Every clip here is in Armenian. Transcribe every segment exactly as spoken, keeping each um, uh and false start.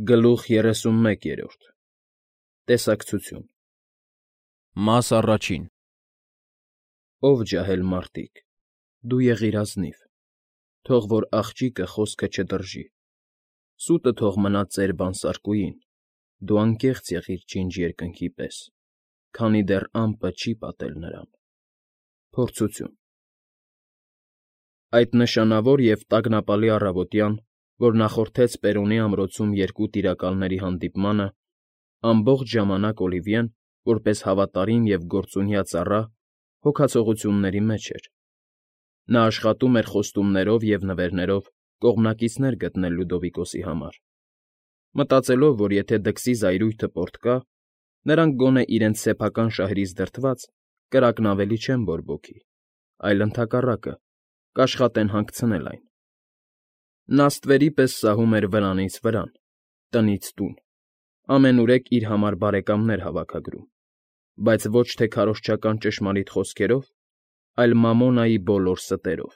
Գլուխ երեսունմեկ. Տեսակցություն Մաս առաջին Ով ջահել մարդիկ, դու եղիր ազնիվ, թող որ աղջիկը խոսքը չդրժի, սուտը թող մնա ծեր բանսարկուին, դու անկեղծ եղիր ջինջ երկնքի պես, քանի դեռ ամպը չի պատել նրան։ Փորձություն Այդ նշանավոր և տագնապալի առավոտյան, որ նախորդեց Պերոնի ամրոցում երկու տիրակալների հանդիպմանը, ամբողջ ժամանակ Օլիվիեն, որպես հավատարիմ և գործունյա ծառա, հոգացողությունների մեջ էր. նա աշխատում էր խոստումներով և նվերներով կողմնակիցներ գտնել Լյուդովիկոսի համար, մտածելով, որ եթե դքսի զայրույթը պոռթկա, նրանք գոնե իրենց սեփական շահերից դրդված կրակն ավելի չեն բորբոքի, այլ ընդհակառակը, կաշխատեն հանգցնել այն։ Նա ստվերի պես սահում էր վրանից վրան, տնից տուն, ամենուրեք իր համար բարեկամներ հավաքագրում, բայց ոչ թե քարոզչական ճշմարիտ խոսքերով, այլ մամոնայի բոլոր ստերով։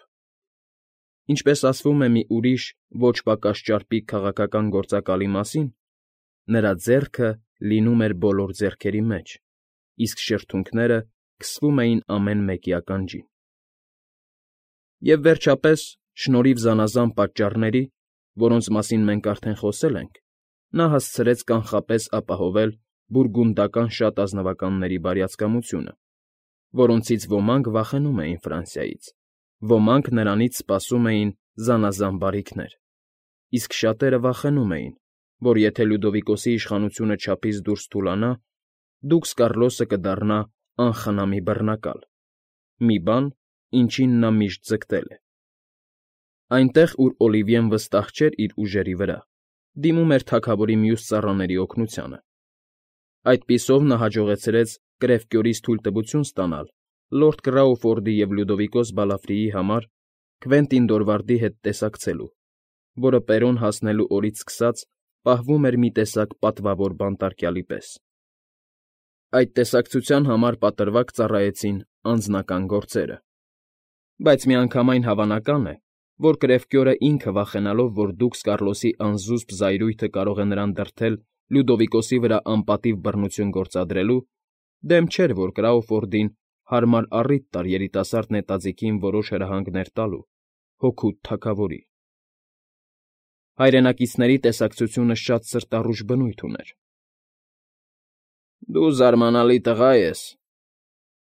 Ինչպես ասվում է մի ուրիշ, ոչ պակաս ճարպիկ քաղաքական գործակալի մասին, նրա ձեռքը լինում էր բոլոր ձեռքերի մեջ, իսկ շրթունքները քսվում էին ամեն մեկի ականջին։ Եվ վերջապես, շնորհիվ զանազան պատճառների, որոնց մասին մենք արդեն խոսել ենք, նա հասցրեց կանխապես ապահովել բուրգունդական շատ ազնվականների բարյացակամությունը, որոնցից ոմանք վախենում էին Ֆրանսիայից, ոմանք նրանից սպասում էին զանազան բարիքներ, իսկ շատերը վախենում էին, որ եթե Լյուդովիկոսի իշխանությունը չափից դուրս թուլանա, դուքս Կառլոսը կդառնա անխնամի բռնակալ, մի բան, ինչին նա միշտ ձգտել է։ Այնտեղ, ուր Օլիվիեն վստահ չէր իր ուժերի վրա, դիմում էր թագավորի մյուս ծառաների օգնությանը։ Այդպիսով նա հաջողեցրեց Կրևկյորից թույլտվություն ստանալ լորդ Կրաուֆորդի և Լյուդովիկոս Բալաֆրիի համար Քվենտին Դորվարդի հետ տեսակցելու, որը Պերոն հասնելու օրից սկսած պահվում էր մի տեսակ պատվավոր բանտարկյալի պես։ Այդ տեսակցության համար պատրվակ ծառայեցին անձնական գործերը, բայց միանգամայն հավանական է, որ Կրևկյորը ինքը վախենալով, որ դուքս Կառլոսի անզուսպ զայրույթը կարող է նրան դրդել Լյուդովիկոսի վրա անպատիվ բռնություն գործադրելու, դեմ չէր, որ Կրաուֆորդին հարմար առիթ տար երիտասարդ նետաձիգին որոշ հրահանգներ տալու, հօգուտ թագավորի։ Հայրենակիցների տեսակցությունը շատ սրտառուչ բնույթ ուներ։ Դու զարմանալի տղա ես,֊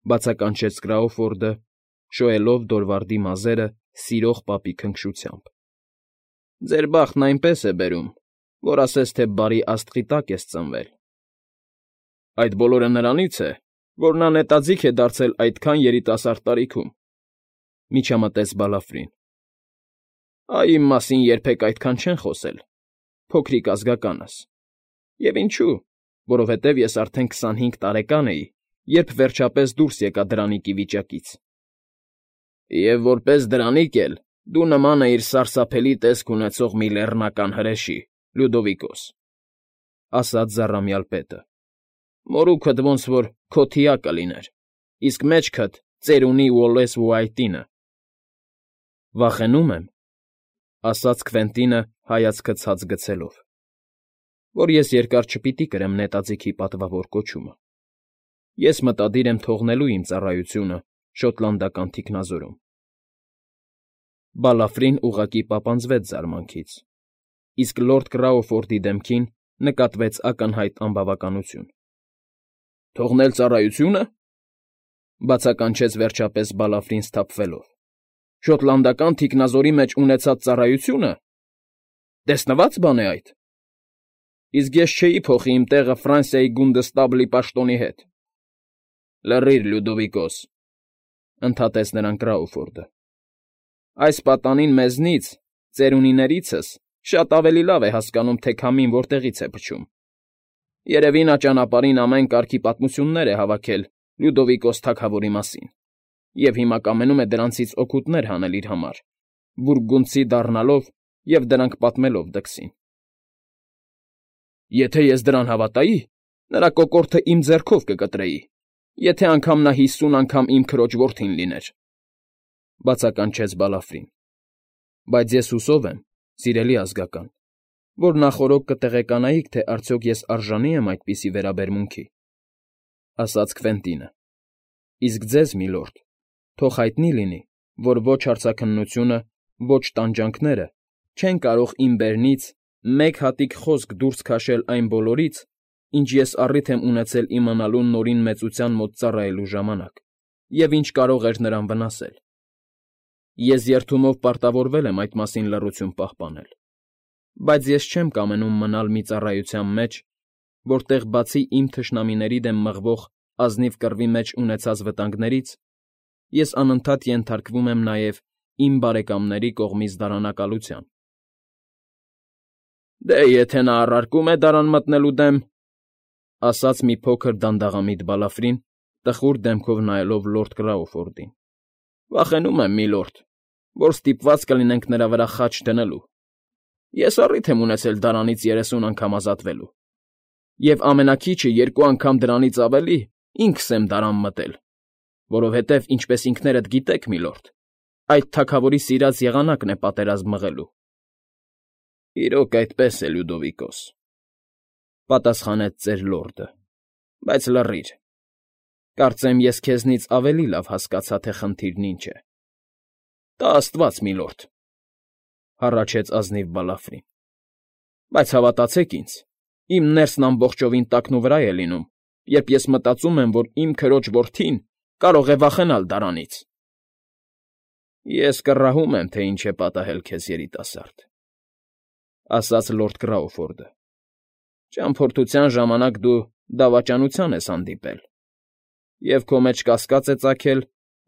բացականչեց Կրաուֆորդը, շոյելով Դորվարդի մազերը սիրող պապի քնքշությամբ։ Ձեր բախտն այնպես է բերում, որ ասես թե բարի աստղի տակ ես ծնվել։ Այդ բոլորը նրանից է, որ նա նետաձիգ է դարձել այդքան երիտասարդ տարիքում,֊ միջամտեց Բալաֆրին։ Այ իմ մասին երբեք այդքան չեն խոսել, փոքրիկ ազգականս։ Եվ ինչո՞ւ, որովհետև ես արդեն քսանհինգ տարեկան էի, երբ վերջապես դուրս եկա դրանիկի վիճակից։ Եվ որպես դրանիկ էլ դու նման էիր սարսափելի տեսք ունեցող մի լեռնական հրեշի, Լյուդովիկոս,֊ ասաց զառամյալ պետը։ Մորուքդ ոնց որ քո թիակը լիներ, իսկ մեջքդ ծերունի Ուոլլես Ուայտինը։ Վախենում եմ,֊ ասաց Քվենտինը հայացքը ցած գցելով,֊ որ ես երկար չպիտի կրեմ նետաձիգի պատվավոր կոչումը։ Ես մտադիր եմ թողնելու իմ ծառայությունը շոտլանդական թիկնազորում։ Բալաֆրին ուղղակի պապանձվեց զարմանքից, իսկ լորդ Կրաուֆորդի դեմքին նկատվեց ակնհայտ անբավականություն։ Թողնել ծառայությո՞ւնը,֊ բացականչեց վերջապես Բալաֆրին սթափվելով։ Շոտլանդական թիկնազորի մեջ ունեցած ծառայությո՞ւնը։ Տեսնվա՞ծ բան է այդ։ Իսկ ես չէի փոխի իմ տեղը Ֆրանսիայի գունդստաբլի պաշտոնի հետ։ Լռիր, Լյուդովիկոս,֊ ընդհատեց նրան Կրաուֆորդը։ Այս պատանին մեզնից, ծերունիներիցս, շատ ավելի լավ է հասկանում, թե քամին որտեղից է փչում։ Երևի նա ճանապարհին ամեն կարգի պատմություններ է հավաքել Լյուդովիկոս թագավորի մասին, և հիմա կամենում է դրանցից օգուտներ հանել իր համար, բուրգունդցի դառնալով և դրանք պատմելով դքսին։ Եթե ես դրան հավատայի, նրա կոկորդը իմ ձեռքով կկտրեի, եթե անգամ նա հիսուն անգամ իմ քրոջ որդին լիներ,֊ բացականչեց Բալաֆրին։ Բայց ես հուսով եմ, սիրելի ազգական, որ նախօրոք կտեղեկանայիք, թե արդյոք ես արժանի եմ այդպիսի վերաբերմունքի, ֊ ասաց Քվենտինը։ ֊ Իսկ ձեզ, միլորդ, թող հայտնի լինի, որ ոչ հարցաքննությունը, ոչ տանջանքները չեն կարող իմ բերնից մեկ հատիկ խոսք դուրս քաշել այն բոլորից, ինչ ես առիթ եմ ունեցել իմանալու Նորին մեծության մոտ ծառայելու ժամանակ, և ինչ կարող էր նրան վնասել։ Ես երդումով պարտավորվել եմ այդ մասին լռություն պահպանել, բայց ես չեմ կամենում մնալ մի ծառայության մեջ, որտեղ բացի իմ թշնամիների դեմ մղվող ազնիվ կռվի մեջ ունեցած վտանգներից, ես անընդհատ ենթարկվում եմ նաև իմ բարեկամների կողմից դարանակալության։ ֊ Դե, եթե նա առարկում է դարան մտնելու դեմ, ֊ ասաց մի փոքր դանդաղամիտ Բալաֆրին, տխուր դեմքով նայելով լորդ Կրաուֆորդին։ ֊ Վախենում եմ, միլորդ, որ ստիպված կլինենք նրա վրա խաչ դնելու։ Ես առիթ եմ ունեցել դարանից երեսուն անգամ ազատվելու, և ամենաքիչը երկու անգամ դրանից ավելի ինքս եմ դարան մտել, որովհետև, ինչպես ինքներդ գիտեք, միլորդ, այդ թագավորի սիրած եղանակն է պատերազմ մղելու։ ֊ Իրոք այդպես է, Լյուդովիկոս, ֊ պատասխանեց ծեր լորդը, ֊ բայց լռիր. կարծեմ ես քեզնից ավելի լավ հասկացա, թե խնդիրն ինչ է։ ֊ Տա աստված, միլորդ, ֊ հառաչեց ազնիվ Բալաֆրին, ֊ բայց հավատացեք ինձ, իմ ներսն ամբողջովին տակնուվրա է լինում, երբ ես մտածում եմ, որ իմ քրոջ որդին կարող է վախենալ դարանից։ ֊ Ես կռահում եմ, թե ինչ է պատահել քեզ, երիտասարդ, ֊ ասաց լորդ Կրաուֆորդը։ ֊ Ճամփորդության ժամանակ դու դավաճանության ես հանդիպել, և քո մեջ կասկած է ծագել,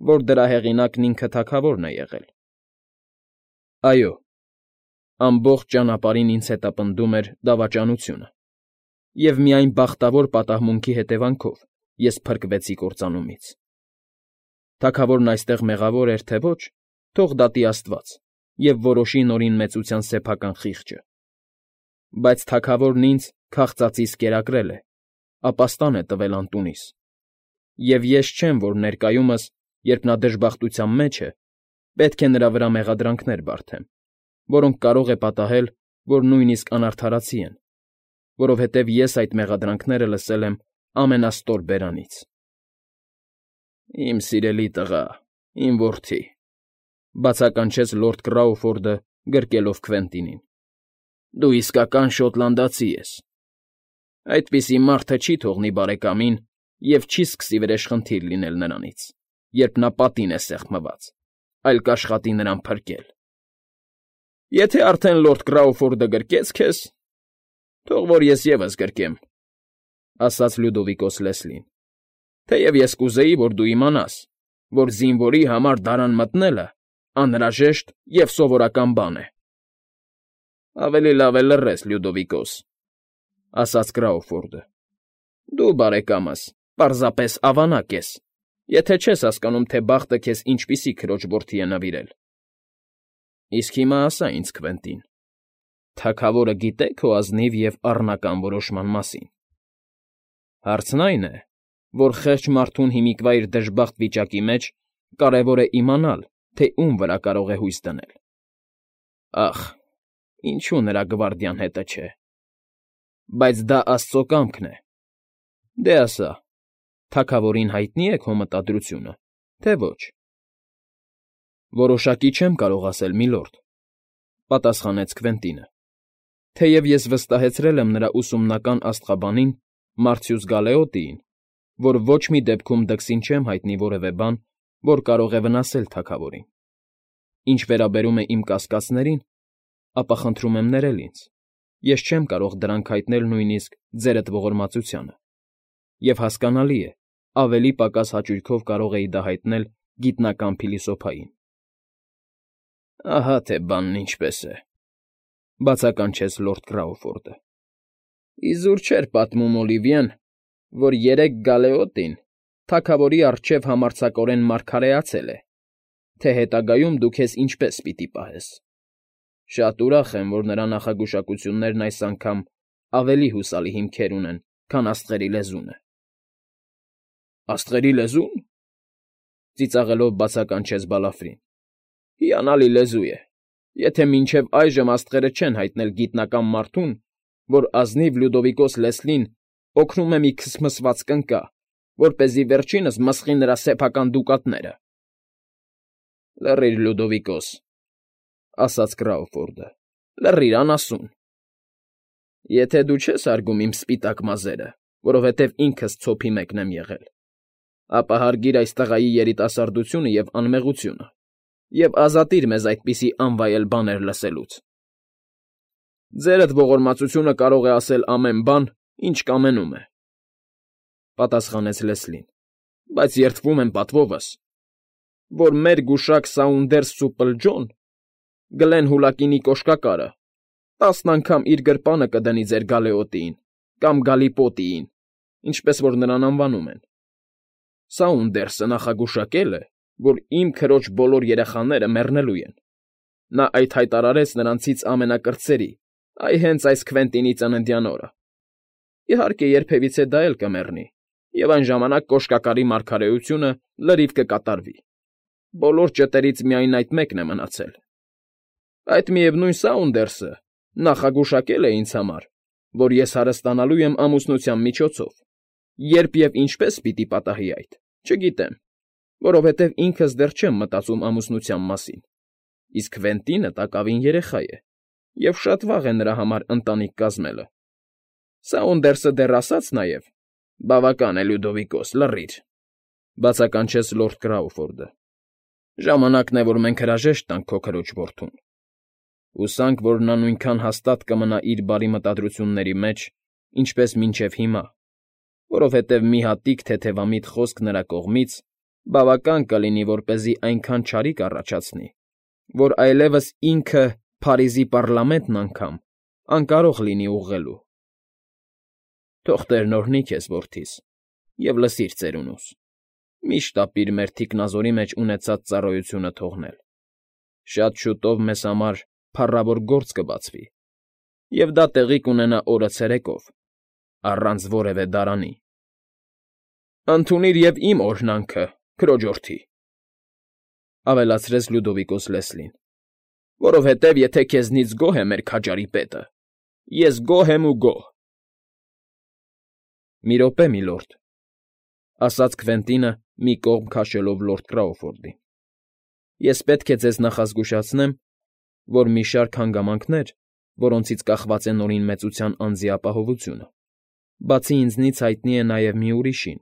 որ դրա հեղինակն ինքը թագավորն է եղել։ ֊ Այո, ամբողջ ճանապարհին ինձ հետապնդում էր դավաճանությունը, և միայն բախտավոր պատահմունքի հետևանքով ես փրկվեցի կործանումից։ Թագավորն այստեղ մեղավոր էր, թե ոչ, թող դատի աստված և որոշի Նորին մեծության սեփական խիղճը։ Բայց թագավորն ինձ քաղծածից կերակրել է, ապաստան է տվել անտունիս, և ես չեմ, որ ներկայումս, երբ նա դժբախտության մեջ է, պետք է նրա վրա մեղադրանքներ բարդեմ, որոնք կարող է պատահել, որ նույնիսկ անարդարացի են, որովհետև ես այդ մեղադրանքները լսել եմ ամենաստոր բերանից։ ֊ Իմ սիրելի տղա, իմ որդի, ֊ բացականչեց լորդ Կրաուֆորդը, գրկելով Քվենտինին, ֊ դու իսկական շոտլանդացի ես։ Այդպիսի մարդը չի թողնի բարեկամին և չի սկսի վրեժխնդիր լինել նրանից, երբ նա պատին է սեղմված, այլ կաշխատի նրան փրկել։ ֊ Եթե արդեն լորդ Կրաուֆորդը գրկեց քեզ, թող որ ես ևս գրկեմ, ֊ ասաց Լյուդովիկոս Լեսլին, ֊ թեև ես կուզեի, որ դու իմանաս, որ զինվորի համար դարան մտնելը անհրաժեշտ և սովորական բան է։ ֊ Ավելի լավ է լռես, Լյուդովիկոս, ֊ ասաց Կրաուֆորդը։ ֊ Դու, բարեկամս, պարզապես ավանակ ես, եթե չես հասկանում, թե բախտը քեզ ինչպիսի քրոջ որդի է նվիրել։ ֊ Իսկ հիմա ասա ինձ, Քվենտին, թագավորը գիտե՞ քո ազնիվ և առնական որոշման մասին։ Հարցն այն է, որ խեղճ մարդուն հիմիկվա իր դժբախտ վիճակի մեջ կարևոր է իմանալ, թե ում վրա կարող է հույս դնել։ Ախ, ինչու նրա գվարդիան հետը չէ։ Բայց դա աստծո կամքն է։ Դե ասա, թագավորին հայտնի՞ է քո մտադրությունը, թե ոչ։ ֊ Որոշակի չեմ կարող ասել, միլորդ, ֊ պատասխանեց Քվենտինը, թեև ես վստահեցրել եմ նրա ուսումնական աստղաբանին Մարցյուս Գալեոտիին, որ ոչ մի դեպքում դքսին չեմ հայտնի որևէ բան, որ կարող է վնասել թագավորին։ Ինչ վերաբերում է իմ կասկածներին, ապա խնդրում եմ ներել ինձ, ես չեմ կարող դրանք հայտնել նույնիսկ ձերդ ողորմածությանը, և հասկանալի է, ավելի պակաս հաճույքով կարող էի դա հայտնել գիտնական փիլիսոփային։ ֊ Ահա թե բանն ինչպես է, ֊ բացականչեց լորդ Կրաուֆորդը։ ֊ Իզուր չէր պատմում Օլիվիեն, որ երեկ Գալեոտին թագավորի առջև համարձակորեն մարգարեացել է, թե հետագայում դու քեզ ինչպես պիտի պահես։ Շատ ուրախ եմ, որ նրա նախագուշակություններն այս անգամ ավելի հուսալի հիմքեր ունեն, քան աստղերի լեզունը։ ֊ Աստղերի լեզո՞ւն, ֊ ծիծաղելով բացականչեց Բալաֆրին։ ֊ Հիանալի լեզու է, Եթե մինչև այժմ աստղերը չեն հայտնել գիտնական մարդուն, որ ազնիվ Լյուդովիկոս Լեսլին օգնում է մի քսմսված կնկա, որպեսզի վերջինս մսխի նրա սեփական դուկատները։ ֊ Լռիր, Լյուդովիկոս,֊ ասաց Կրաուֆորդը,֊ լռիր, անասուն… Եթե դու չես հարգում իմ սպիտակ մազերը, որովհետև ինքս ցոփի մեկն եմ եղել, ապա հարգիր այս տղայի երիտասարդությունը և անմեղությունը և ազատիր մեզ այդպիսի անվայել բաներ լսելուց։ ֊ Ձերդ ողորմածությունը կարող է ասել ամեն բան, ինչ կամենում է,֊ պատասխանեց Լեսլին,֊ բայց երդվում եմ պատվովս, որ մեր գուշակ Սաունդերս Սուպլջոն, Գլեն Հուլակինի կոշկակարը, տասն անգամ իր գրպանը կդնի ձեր գալեոտիին կամ գալիպոտիին, ինչպես որ նրան անվանում են։ Սաունդերսը նախագուշակել է, որ իմ քրոջ բոլոր երեխաները մեռնելու են։ Նա այդ հայտարարեց նրանցից ամենակրտսերի, այ հենց այս Քվենտինի ծննդյան օրը։ Իհարկե, երբևիցե դա էլ կմեռնի, և այն ժամանակ կոշկակարի մարգարեությունը լրիվ կկատարվի։ Բոլոր ճտերից միայն այդ մեկն է մնացել։ Այդ միևնույն Սաունդերսը նախագուշակել է ինձ համար, որ ես հարստանալու եմ ամուսնության միջոցով, երբ և ինչպես պիտի պատահի այդ, չգիտեմ, որովհետև ինքս դեռ չեմ մտածում ամուսնության մասին, իսկ Քվենտինը տակավին երեխա է, և շատ վաղ է նրա համար ընտանիք կազմելը։ Սաունդերսը դեռ ասաց նաև. «Բավական է, Լյուդովիկոս, լռիր», բացականչեց լորդ Կրաուֆորդը։ «Ժամանակն է, որ մենք հրաժեշտ տանք քո քրոջ որդուն։ Հուսանք, որ նա նույնքան հաստատ կմնա իր բարի մտադրությունների մեջ, ինչպես մինչև հիմա, որովհետև մի հատիկ թեթևամիտ խոսք նրա կողմից բավական կլինի, որպեսզի այնքան չարիք առաջացնի, որ այլևս ինքը Փարիզի պառլամենտն անգամ անկարող լինի ուղղելու։ Թող Տերն օրհնի քեզ, որդիս, և լսիր ծերունուս, միշտ ապիր մեր թիկնազորի մեջ ունեցած ծառայությունը թողնել։ Շատ շուտով մեզ համար փառավոր գործ կբացվի, և դա տեղի կունենա օրը ցերեկով, առանց որևէ դարանի։ Ընդունիր և իմ օրհնանքը, քրոջորդի,֊ ավելացրեց Լյուդովիկոս Լեսլին,֊ որովհետև եթե քեզնից գոհ է մեր քաջարի պետը, ես գոհ եմ ու գոհ։ ֊ Մի րոպե, միլորդ,֊ ասաց Քվենտինը, մի կողմ քաշելով լորդ Կրաուֆորդին,֊ ես պետք է ձեզ նախազգուշացնեմ, որ մի շարք հանգամանքներ, որոնցից կախված է Նորին Մեծության անձի ապահովությունը, բացի ինձնից հայտնի է նաև մի ուրիշին։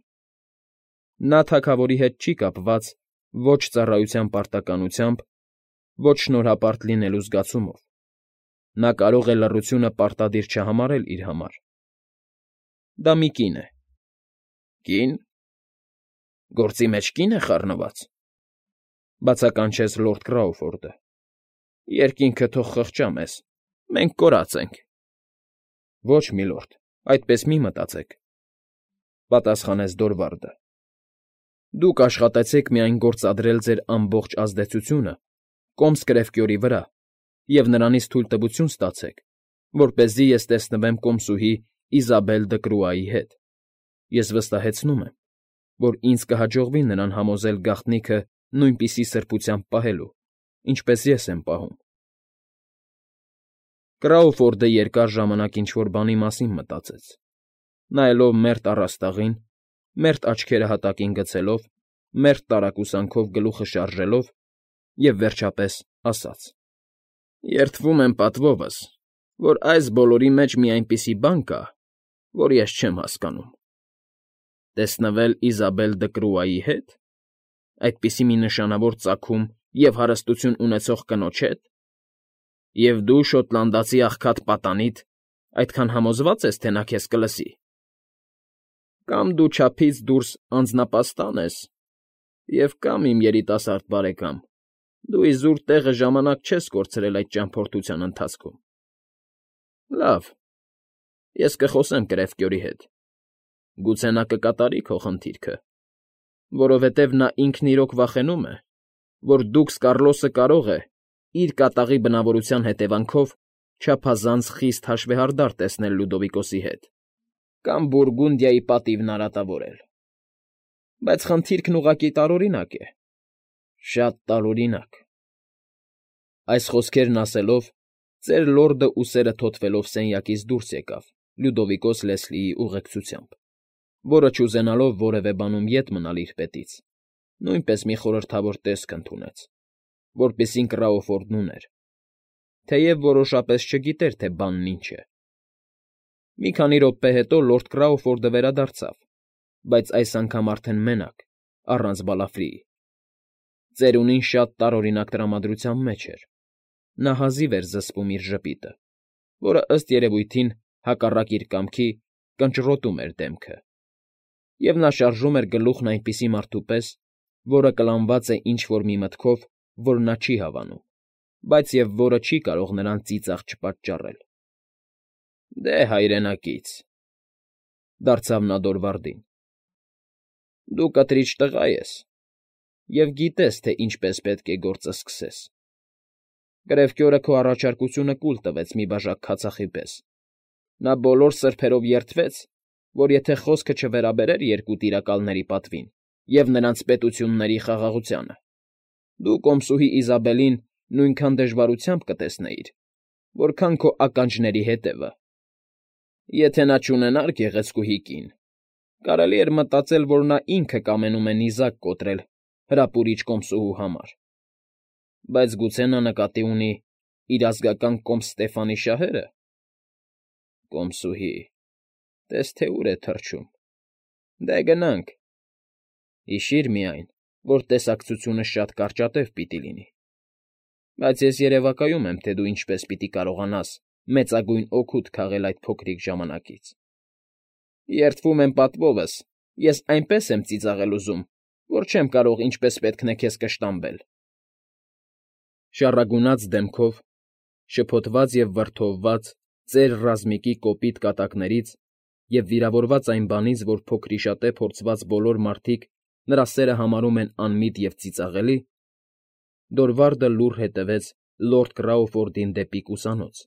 Նա թագավորի հետ չի կապված ոչ ծառայության պարտականությամբ, ոչ շնորհապարտ լինելու զգացումով։ Նա կարող է լռությունը պարտադիր չհամարել իր համար։ Դա մի կին է։ ֊ Կի՞ն։ Գործի մեջ կի՞ն է խառնված,֊ բացականչեց լորդ Կրաուֆորդը։ Երկինքը թող խղճա մեզ, մենք կորած ենք։ ֊ Ոչ, միլորդ, այդպես մի մտածեք,֊ պատասխանեց Դորվալդը։ Դուք աշխատեցեք միայն գործադրել ձեր ամբողջ ազդեցությունը Կոմսկրեֆկյորի վրա և նրանից թույլտվություն ստացեք, որպեսզի ես տեսնվեմ կոմսուհի Իզաբել Դկրուայի հետ։ Ես վստահեցնում եմ, որ ինձ կհաջողվի նրան համոզել գաղտնիքը նույնպիսի սրբությամբ պահելու, ինչպես ես եմ պահում։ Կրաուֆորդը երկար ժամանակ ինչ֊որ բանի մասին մտածեց, նայելով մերթ առաստաղին, մերթ աչքերը հատակին գցելով, մերթ տարակուսանքով գլուխը շարժելով և, վերջապես, ասաց. «Երդվում եմ պատվովս, որ այս բոլորի մեջ մի այնպիսի բան կա, որ ես չեմ հասկանում։ Տեսնվել Իզաբել Դկրուայի հետ, այդպիսի մի նշանավոր ծագում և հարստություն ունեցող կնոջ հետ, և դու, շոտլանդացի աղքատ պատանիդ, այդքան համոզվա՞ծ ես, թե նա քեզ կլսի։ Կամ դու չափից դուրս անձնապաստան ես, և կամ, իմ երիտասարդ բարեկամ, դու իզուր տեղը ժամանակ չես կորցրել այդ ճամփորդության ընթացքում։ Լավ, ես կխոսեմ Կրևկյորի հետ, գուցե նա կկատարի քո խնդիրքը, որովհետև նա ինքն իրոք վախենում է, որ դուքս Կառլոսը կարող է, իր կատաղի բնավորության հետևանքով, չափազանց խիստ հաշվեհարդար տեսնել Լյուդովիկոսի հետ կամ Բուրգունդիայի պատիվն արատավորել։ Բայց խնդիրքն ուղղակի տարօրինակ է, շատ տարօրինակ։ Այս խոսքերն ասելով, ծեր լորդը ուսերը թոթվելով սենյակից դուրս եկավ Լյուդովիկոս Լեսլիի ուղեկցությամբ, որը չուզենալով որևէ բանում ետ մնալ իր պետից, նույնպես մի խորհրդավոր տեսք ընդունեց, որպիսին Կրաուֆորդն ուներ, թեև որոշապես չգիտեր, թե բանն ինչ է։ Մի քանի րոպե հետո լորդ Կրաուֆորդը վերադարձավ, բայց այս անգամ արդեն մենակ, առանց Բալաֆրիի։ Ծերունին շատ տարօրինակ տրամադրության մեջ էր. նա հազիվ էր զսպում իր ժպիտը, որը, ըստ երևույթին, հակառակ իր կամքի, կնճռոտում էր դեմքը, և նա շարժում էր գլուխն այնպիսի մարդու պես, որը կլանված է ինչ֊որ մի մտքով, որ նա չի հավանում, բայց և որը չի կարող նրան ծիծաղ չպատճառել։ ֊ Դե, հայրենակից,֊ դարձավ նա Դորվարդին,֊ դու կտրիչ տղա ես և գիտես, թե ինչպես պետք է գործը սկսես. Կրևկյորը քո առաջարկությունը կուլ տվեց մի բաժակ քացախի պես. նա բոլոր սրբերով երդվեց, որ եթե խոսքը չվերաբերեր երկու տիրակալների պատվին և նրանց պետությունների խաղաղությանը, դու կոմսուհի Իզաբելին նույնքան դժվարությամբ կտեսնեիր, որքան քո ականջների հետևը։ Եթե նա չունենար գեղեցկուհի կին, կարելի էր մտածել, որ նա ինքը կամենում է նիզակ կոտրել հրապուրիչ կոմսուհու համար, բայց գուցե նա նկատի ունի իր ազգական կոմս Ստեֆանի շահերը։ Կոմսուհի… տես թե ուր է թռչում… Դե, գնանք… Հիշի՛ր միայն, որ տեսակցությունը շատ կարճատև պիտի լինի, բայց ես երևակայում եմ, թե դու ինչպես պիտի կարողանաս մեծագույն օգուտ քաղել այդ փոքրիկ ժամանակից։ Երդվում եմ պատվովս, ես այնպես եմ ծիծաղել ուզում, որ չեմ կարող ինչպես պետք է քեզ կշտամբել… Շառագունած դեմքով, շփոթված և վրդովված ծեր ռազմիկի կոպիտ կատակներից և վիրավորված այն բանից, որ փոքրիշատե փորձված բոլոր մարդիկ նրա սերը համարում են անմիտ և ծիծաղելի, Դորվարդը լուռ հետևեց լորդ Կրաուֆորդին դեպի կուսանոց,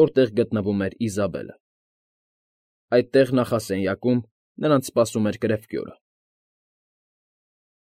որտեղ գտնվում էր Իզաբելը։ Այդտեղ նախասենյակում նրանց սպասում էր կրևկյորը։